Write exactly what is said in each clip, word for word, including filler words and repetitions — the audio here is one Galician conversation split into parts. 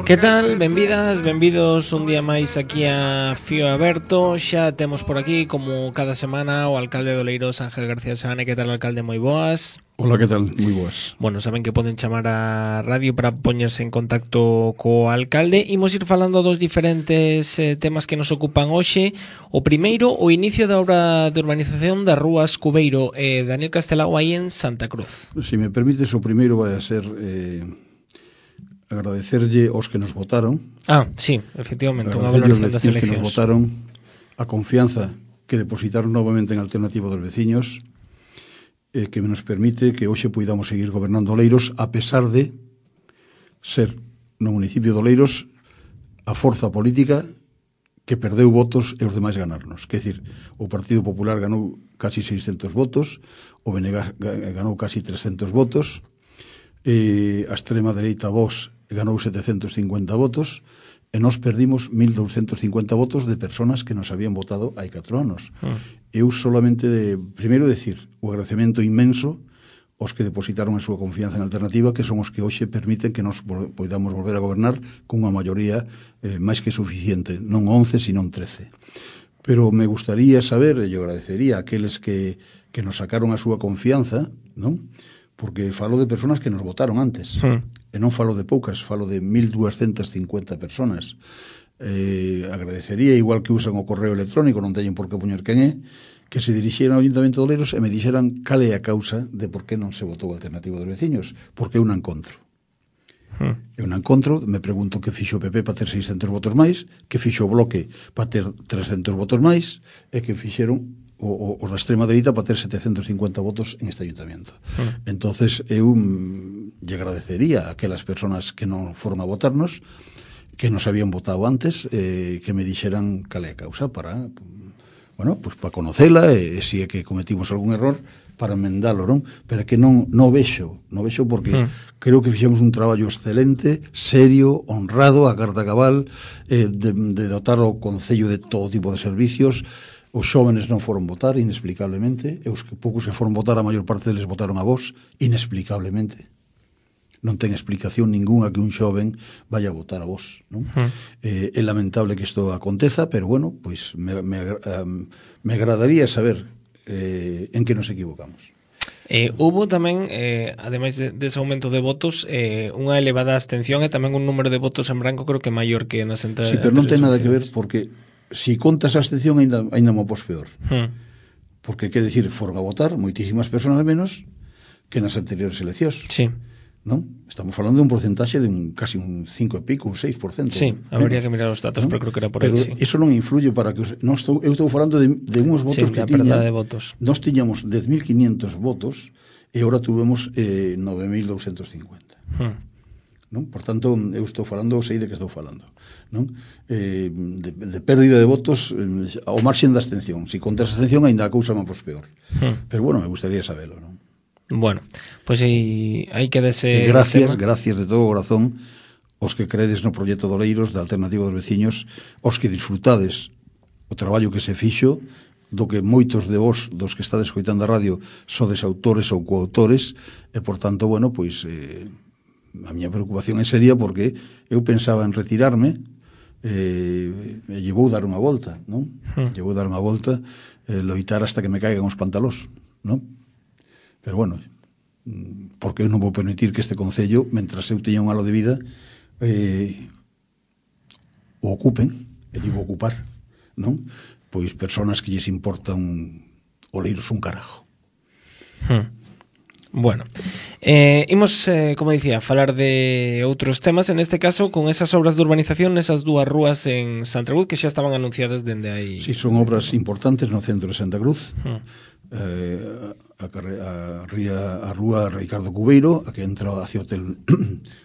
Que tal? Benvidas, benvidos un día máis aquí a Fío Aberto. Xa temos por aquí, como cada semana, o alcalde de Oleiros, Ángel García Seane. Que tal, alcalde? Moi boas. Hola, que tal? Moi boas. Bueno, saben que poden chamar a radio para poñerse en contacto co alcalde. Imos ir falando dos diferentes eh, temas que nos ocupan hoxe. O primeiro, o inicio da obra de urbanización das rúas Cubeiro e eh, Daniel Castelao aí en Santa Cruz. Se me permites, o primeiro vai a ser eh, agradecerlle aos que nos votaron. Ah, sí, efectivamente, unha valoración das eleccións. Que nos votaron, a confianza que depositaron novamente en Alternativa dos Veciños, eh, que nos permite que hoxe poidamos seguir gobernando Oleiros, a pesar de ser no municipio de Oleiros a forza política que perdeu votos e os demais ganarnos. Quer dicir, o Partido Popular ganou casi seiscentos votos, o B N G ganou casi trescentos votos, e a extrema dereita Vox ganou setecentos cincuenta votos, e nós perdimos mil douscentos cincuenta votos de personas que nos habían votado hai catro anos. Mm. Eu solamente, de, primeiro, decir o agradecemento inmenso aos que depositaron a súa confianza en Alternativa, que son os que hoxe permiten que nos podamos volver a gobernar cunha maioría eh, máis que suficiente, non once, sino trece. Pero me gustaría saber, e eu agradecería a aqueles que, que nos sacaron a súa confianza, non? Porque falo de personas que nos votaron antes, mm. e non falo de poucas, falo de mil doscientas cincuenta personas. Eh, agradecería, igual que usan o correo electrónico, non teñen por que poñer quen é, que se dirixeran ao Ayuntamento de Oleiros e me dixeran cal é a causa de por que non se votou a Alternativa dos Veciños, porque eu non encontro. Hmm. Eu non encontro, me pregunto que fixo o P P para ter seiscentos votos máis, que fixo o Bloque para ter trescentos votos máis, e que fixeron o, o, o da extrema dereita para ter setecentos cincuenta votos en este Ayuntamento. Hmm. Entonces eu mm, lle agradecería a aquelas personas que non foron a votarnos, que nos habían votado antes, eh, que me dixeran cal é a causa para... bueno, pues para conocela, e se é que cometimos algún error, para emendalo, non? Pero que non, non vexo, non vexo porque mm. creo que fixemos un traballo excelente, serio, honrado, a carta cabal, eh, de, de dotar o Concello de todo tipo de servicios. Os xóvenes non foron votar, inexplicablemente, e os que poucos que foron votar, a maior parte deles votaron a vos, inexplicablemente. Non ten explicación ninguna que un xoven vaya a votar a vos, non? Uh-huh. Eh, é lamentable que isto aconteza, pero bueno, pois me, me, um, me agradaría saber eh, en que nos equivocamos. Eh, hubo tamén, eh, ademais de, dese aumento de votos, eh, unha elevada abstención e tamén un número de votos en branco creo que maior que nas anteriores. Sí, pero non ten nada que ver, porque se si contas a abstención ainda, ainda mo pos peor. Uh-huh. Porque, quer dicir, foron a votar moitísimas personas menos que nas anteriores eleccións. Sí. Non? Estamos falando de un porcentaxe de un casi un cinco e pico, un seis por cento. Sí, habría que mirar os datos, ¿no? Pero creo que era por aí, sí. Eso non influye para que... Os, non estou, eu estou falando de, de uns votos sí, que tiña... de votos. Nós tiñamos dez mil quinientos votos e agora tuvemos eh, nove mil doscientos cincuenta. Hmm. Non? Por tanto, eu estou falando, sei de que estou falando. Non? Eh, de, de pérdida de votos eh, ao marxen da abstención. Se si contas a abstención, ainda a cousa má pois peor. Hmm. Pero bueno, me gustaría sabelo, non? Bueno, pois pues aí, aí quedese... Gracias, gracias de todo corazón aos que credes no proxecto de Oleiros, da Alternativa dos Veciños, aos que disfrutades o traballo que se fixo, do que moitos de vos, dos que estades escoitando a radio, sodes autores ou coautores, e, por tanto, bueno, pois, eh, a miña preocupación é seria porque eu pensaba en retirarme, eh, e lle vou dar unha volta, non? Hmm. Lle vou dar unha volta, eh, loitar hasta que me caigan os pantalós, non? Pero bueno, porque eu non vou permitir que este Concello, mentras eu teña un halo de vida, eh, o ocupen, e digo ocupar, non? Pois personas que lles importa un Oleiros un carajo. Hmm. Bueno, eh, imos, eh, como dicía, falar de outros temas, en este caso con esas obras de urbanización nesas dúas rúas en Santa Cruz que xa estaban anunciadas dende aí. Si, sí, son obras importantes no centro de Santa Cruz. Hmm. Eh, a, a, ría, a rúa Ricardo Cubeiro, a que entra hacia o hotel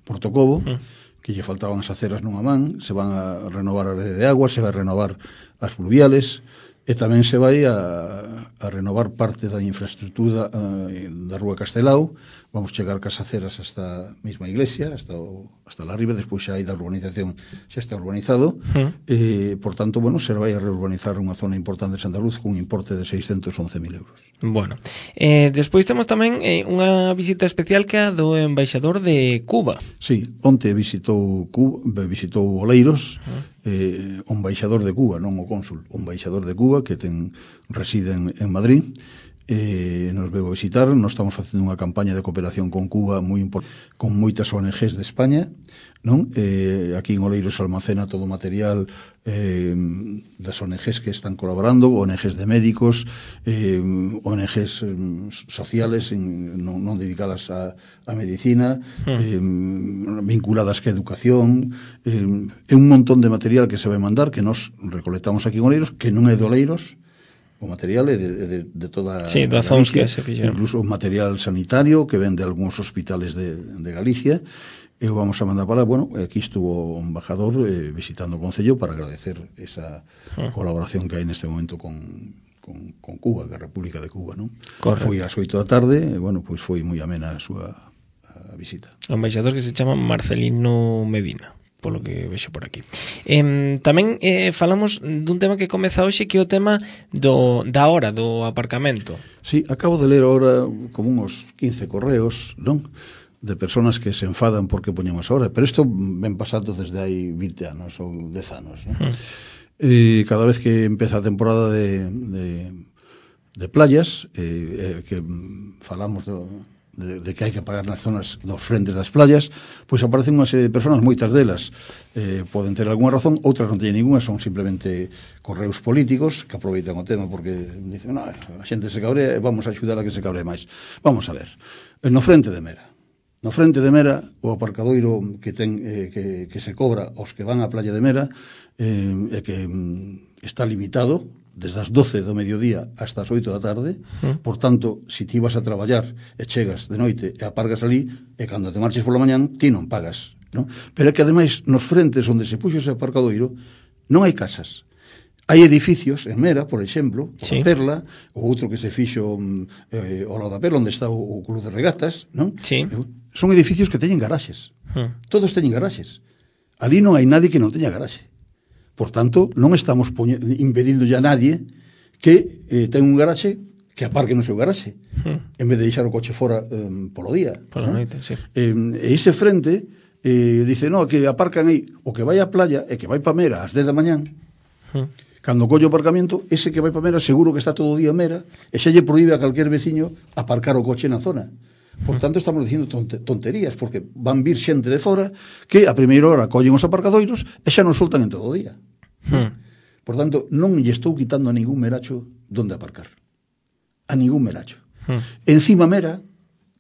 Portocobo, mm. que lle faltaban as aceras nunha man, se van a renovar a rede de agua, se vai a renovar as fluviales, e tamén se vai a, a renovar parte da infraestructura a, da rúa Castelao, vamos chegar casaceras hasta a mesma iglesia, hasta o, hasta la riba, despois xa hai da urbanización, xa está urbanizado, uh. eh, por tanto, bueno, se vai a reurbanizar unha zona importante de Santa Cruz cun importe de seiscentos once mil euros. Bueno, eh, despois temos tamén eh, unha visita especial que a do embaixador de Cuba. Sí, onte visitou Cuba, visitou Oleiros, uh. eh, o embaixador de Cuba, non o cónsul, o embaixador de Cuba, que ten reside en, en Madrid, eh, nos veu a visitar. Nos estamos facendo unha campaña de cooperación con Cuba moi importante, con moitas O N Ges de España, non? Eh, aquí en Oleiros almacena todo o material eh, das O N Ges que están colaborando, O N Ges de médicos, eh, O N Ges eh, sociales en, non, non dedicadas a, a medicina, hmm. eh, vinculadas que a educación, eh, é un montón de material que se vai mandar, que nos recolectamos aquí en Oleiros, que non é de Oleiros. O material é de, de, de toda sí, a Galicia, que se incluso o material sanitario que ven de algúns hospitales de, de Galicia, e o vamos a mandar para, bueno, aquí estuvo o embajador eh, visitando o Concello para agradecer esa uh. colaboración que hai neste momento con, con, con Cuba, que é a República de Cuba, non? Foi ás oito da tarde, e, bueno, pois foi moi amena a súa a visita. O embaixador que se chama Marcelino Medina, polo que vexo por aquí. Eh, tamén eh, falamos dun tema que comeza hoxe, que é o tema do, da hora do aparcamento. Sí, acabo de ler ahora como uns quince correos, non? De personas que se enfadan porque poñemos hora, pero isto ven pasando desde hai vinte anos ou dez anos, non? Mm. E cada vez que empeza a temporada de, de, de playas, eh, eh, que falamos do De, de que hai que pagar nas zonas dos frentes das playas, pois aparecen unha serie de personas, moitas delas eh, poden ter algunha razón, outras non teñen ninguna, son simplemente correos políticos que aproveitan o tema porque dicen, no, a xente se cabrea e vamos a axudar a que se cabre máis. Vamos a ver, no frente de Mera, no frente de Mera, o aparcadoiro que ten eh, que, que se cobra aos que van á playa de Mera eh, é que mm, está limitado desde as doce do mediodía hasta as oito da tarde, mm. por tanto, se ti vas a traballar e chegas de noite e apargas ali, e cando te marches pola mañán, ti non pagas, non? Pero é que ademais, nos frentes onde se puxo ese aparcadoiro, non hai casas. Hai edificios en Mera, por exemplo, sí. a Perla, o outro que se fixo eh, ao lado da Perla, onde está o, o Club de Regatas, non? Sí. Son edificios que teñen garaxes. Mm. Todos teñen garaxes. Ali non hai nadie que non teña garaxe. Por tanto, non estamos impedindo ya a nadie que eh, ten un garaxe que aparque no seu garaxe, hmm. en vez de deixar o coche fora eh, polo día. Pola ¿no? noite, sí. Eh, e ese frente eh, dice, no, que aparcan aí, o que vai á playa e que vai pa Mera ás dez da mañán, hmm. cando colle o aparcamento, ese que vai pa Mera seguro que está todo o día en Mera, e xa lle proíbe a calquer veciño aparcar o coche na zona. Por tanto, estamos dicindo tonterías, porque van vir xente de fora que a primeira hora collen os aparcadoiros e xa non soltan en todo o día. Hmm. Por tanto, non lle estou quitando a ningún meracho donde aparcar. A ningún meracho. Hmm. Encima Mera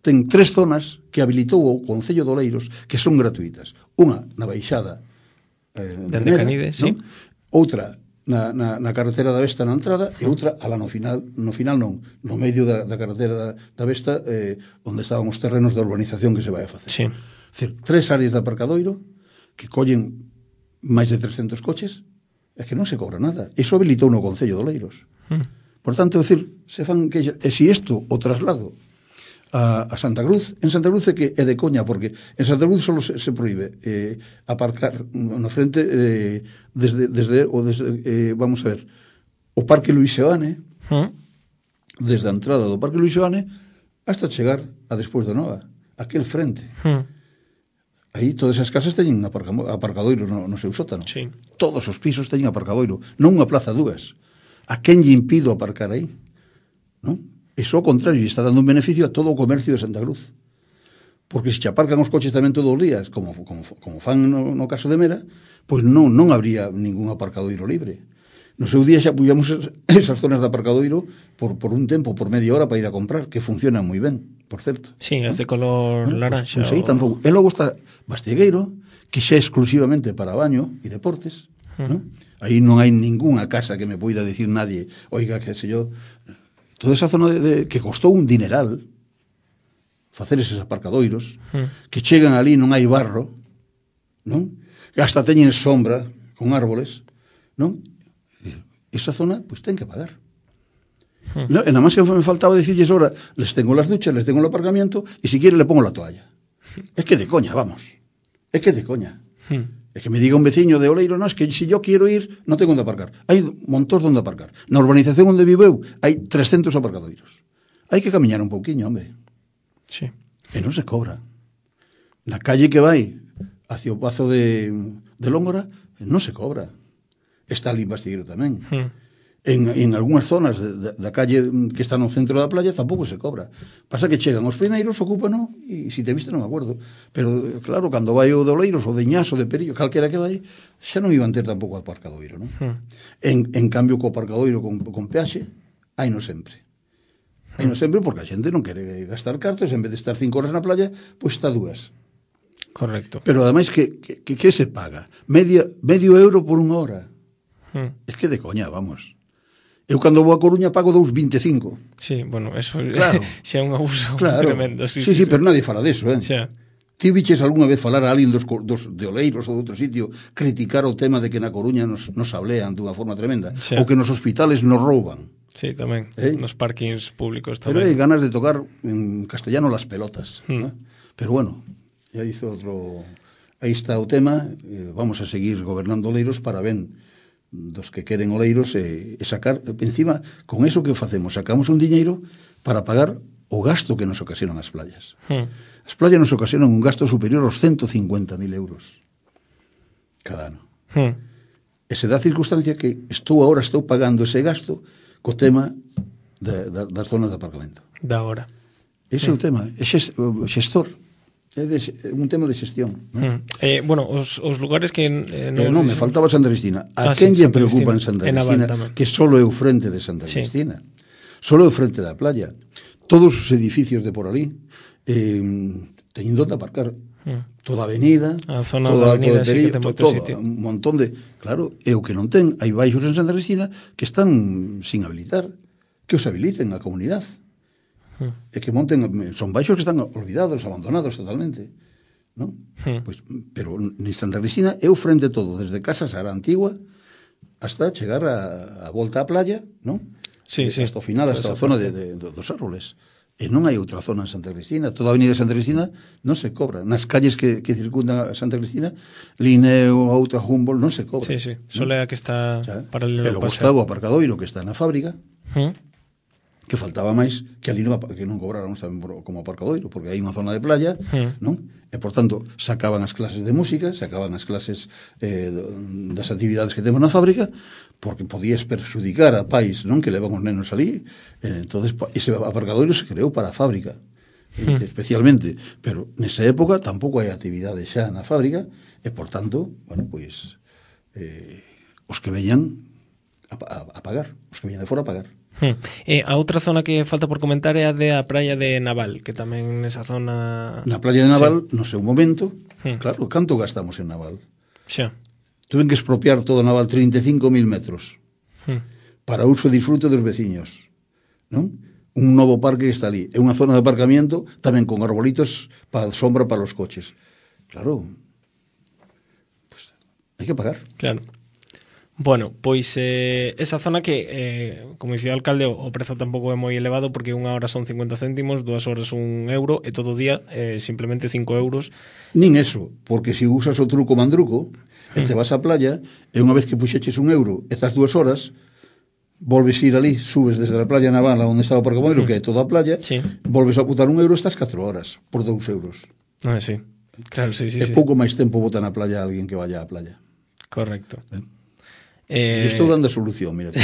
ten tres zonas que habilitou o Concello de Oleiros que son gratuitas. Unha na baixada eh, de Mera, Canide, sí. ¿no? Outra na, na, na carretera da Vesta na entrada e outra ala no final, no final non, no medio da, da carretera da, da Vesta eh, onde estaban os terrenos da urbanización que se vai a facer. Sí. É dicir, tres áreas de aparcadoiro que collen máis de trescentos coches é que non se cobra nada. Iso habilitou no Concello de Oleiros. Hmm. Por tanto, é dicir, se fan que e se isto o traslado a, a Santa Cruz, en Santa Cruz é que é de coña, porque en Santa Cruz só se, se proíbe eh, aparcar no frente eh, desde, desde, o desde eh, vamos a ver, o Parque Luís Seoane, hmm. desde a entrada do Parque Luís Seoane hasta chegar a despois da Nova, aquel frente. Hmm. Aí todas as casas teñen aparcadoiro no, no seu sótano. Sí. Todos os pisos teñen aparcadoiro, non unha plaza dúas. A quen lle impido aparcar aí? Non? Iso ao contrario, está dando un beneficio a todo o comercio de Santa Cruz. Porque se che aparcan os coches tamén todos os días, como, como, como fan no, no caso de Mera, pois non, non habría ningún aparcadoiro libre. No seu día xa puxamos esas zonas de aparcadoiro por, por un tempo, por media hora para ir a comprar, que funcionan moi ben, por certo. Sí, es de color ¿no? laranxa. Pois, pois aí tampouco. E logo está Bastegueiro, que xa é exclusivamente para baño e deportes, uh-huh. ¿no? Aí non hai ningunha casa que me poida decir nadie, oiga, que se yo... Toda esa zona de, de, que costou un dineral facer eses aparcadoiros, uh-huh. que chegan ali, non hai barro, non? Hasta teñen sombra con árboles, non? Esa zona, pois, ten que pagar. Hmm. No, e nada máis que me faltaba dicirles ahora, les tengo las duchas, les tengo el aparcamiento, y si quiere le pongo la toalla. Hmm. Es que de coña, vamos. Es que de coña. Hmm. Es que me diga un veciño de Oleiro, no, es que si yo quiero ir, no tengo onde aparcar. Hai montóns donde aparcar. Na urbanización onde vivo eu, hai trescentos aparcadoiros. Hai que camiñar un pouquiño, hombre. Sí. E non se cobra. Na calle que vai hacia o Pazo de, de Lóngora, non se cobra. Está ali Bastigueiro tamén. Hmm. En, en algunhas zonas de, de, da calle que está no centro da playa tampouco se cobra. Pasa que chegan os primeiros, ocúpano, e se te viste non me acuerdo. Pero, claro, cando vai o de Oleiros, o de Iñas, o de Perillo, calquera que vai, xa non iban ter tampouco aparcadoiro, non? Hmm. En, en cambio, co aparcadoiro con, con peaxe, hai no sempre. Hai no sempre porque a xente non quere gastar cartos, en vez de estar cinco horas na playa, pois está dúas. Correcto. Pero, ademais, que, que, que, que se paga? Media, medio euro por unha hora. Hmm. Es que de coña, vamos. Eu cando vou a Coruña pago dous vinte e cinco. Sí, bueno, eso claro. xa é un abuso claro. tremendo. Sí, sí, sí, sí, sí, pero nadie fala deso, eh? Xa. Ti viches algunha vez falar a alguén dos, dos de Oleiros ou de outro sitio criticar o tema de que na Coruña nos, nos hablean dunha forma tremenda? Xa. Ou que nos hospitales nos rouban? Sí, tamén. ¿Eh? Nos parkings públicos tamén. Pero hai ganas de tocar en castellano las pelotas. Hmm. ¿no? Pero bueno, ya dice outro... Aí está o tema, eh, vamos a seguir gobernando Oleiros para ben dos que queren Oleiros e, e sacar, encima, con eso que facemos, sacamos un diñeiro para pagar o gasto que nos ocasionan as playas. Hmm. As playas nos ocasionan un gasto superior aos ciento cincuenta mil euros cada ano. Hmm. E se dá a circunstancia que estou agora estou pagando ese gasto co tema de, de, das zonas de aparcamento. Da hora. Ese hmm. é o tema, é o xestor. É de, un tema de xestión. ¿no? Hmm. Eh, bueno, os, os lugares que... Eh, non, eh, non me faltaba Santa Cristina. A ah, quen sí, lle preocupa en Santa Cristina? Que solo é o frente de Santa sí. Cristina. Solo é o frente da playa. Todos os edificios de por ali eh, teñen donde aparcar. Hmm. Toda a avenida, a zona da avenida, sí que ten moito todo, sitio. Un montón de... Claro, e o que non ten, hai baixos en Santa Cristina que están sin habilitar. Que os habiliten a comunidade. É que monten, son baixos que están olvidados, abandonados totalmente, ¿no? Hmm. Pues, pero en Santa Cristina é o frente todo, desde Casa Sara Antigua hasta chegar a, a volta á playa, ¿no? Sí, sí. Hasta o final, hasta a zona de, de, de, dos árboles. E non hai outra zona en Santa Cristina. Toda a avenida de Santa Cristina non se cobra. Nas calles que, que circundan a Santa Cristina, Lineo, a outra Humboldt, non se cobra. Sí, sí. Solo é a que está paralelo ao paseo. E logo está o aparcadoiro que está na fábrica, hmm. que faltaba máis que ali non, que non cobráramos tamén como aparcadoiro, porque hai unha zona de playa, hmm. non? E, por tanto, sacaban as clases de música, sacaban as clases eh, das actividades que temos na fábrica, porque podías perxudicar a pais, non? Que levan os nenos ali. Eh, entonces, ese aparcadoiro se creou para a fábrica, hmm. eh, especialmente. Pero, nesa época, tampouco hai actividade xa na fábrica, e, por tanto, bueno, pois, eh, os que veñan a, a, a pagar, os que veñan de fora a pagar. Hmm. E a outra zona que falta por comentar é a de a praia de Naval, que tamén nesa zona... Na praia de Naval, sí. No seu momento, hmm. claro, canto gastamos en Naval? Xa. Tuven que expropiar todo Naval trinta e cinco mil metros hmm. para uso e disfrute dos veciños, non? Un novo parque que está ali, é unha zona de aparcamiento tamén con arbolitos para sombra para os coches. Claro, pues, hai que pagar. Claro. Bueno, pois eh, esa zona que, eh, como dicía o alcalde, o prezo tampouco é moi elevado porque unha hora son cincuenta céntimos, dúas horas un euro e todo o día eh, simplemente cinco euros. Nin eso, porque se usas o truco mandruco e te vas á playa e unha vez que puxeches un euro estas dúas horas volves a ir ali, subes desde a playa Naval onde está o aparcadoiro, que é toda a playa, sí. Volves a botar un euro estas catro horas por dous euros. Ah, sí. Claro, sí, sí. É sí. pouco máis tempo botar na playa a alguén que vaya á playa. Correcto. Eh? Eh... Estou dando a solución, mira,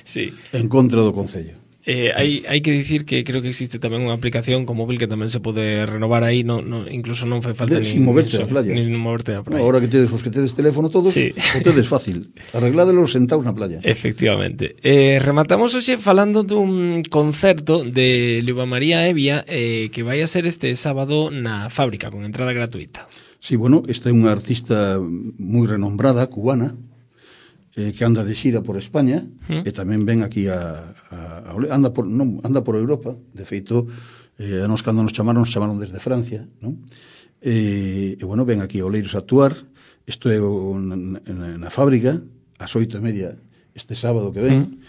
sí. En contra do Concello. Eh, hai, hai que dicir que creo que existe tamén unha aplicación con móvil que tamén se pode renovar aí, no, no, incluso non fai falta de, ni, sin moverte a playa. Ni moverte a playa. No, ahora que tedes os que tedes teléfono todos, sí. O tedes fácil. Arregládelo sentados na playa. Efectivamente. Eh, rematamos hoxe falando dun concerto de Luba María Evia eh, que vai a ser este sábado na Fábrica con entrada gratuita. Sí, bueno, esta é unha artista moi renombrada, cubana, eh, que anda de xira por España, ¿Mm? E tamén ven aquí a, a, a anda por non, anda por Europa, de feito eh, a nos cando nos chamaron, nos chamaron desde Francia, non? E, e bueno, ven aquí a Oleiros a actuar. Isto é na, na, na fábrica ás oito e media este sábado que ven.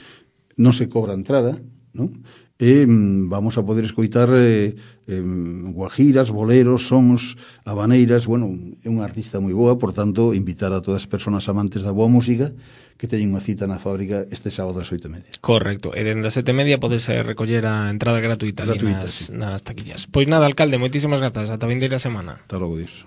¿Mm? non se cobra entrada, non? E vamos a poder escoitar eh, eh, guajiras, boleros, sons, habaneiras. Bueno, é unha artista moi boa, por tanto, invitar a todas as persoas amantes da boa música que teñen unha cita na fábrica este sábado ás oito e media. Correcto, e dende as sete e media podes recoller a entrada gratuita, gratuita nas, sí. nas taquillas. Pois nada, alcalde, moitísimas grazas, ata a vindeira semana. Hasta logo, Dios.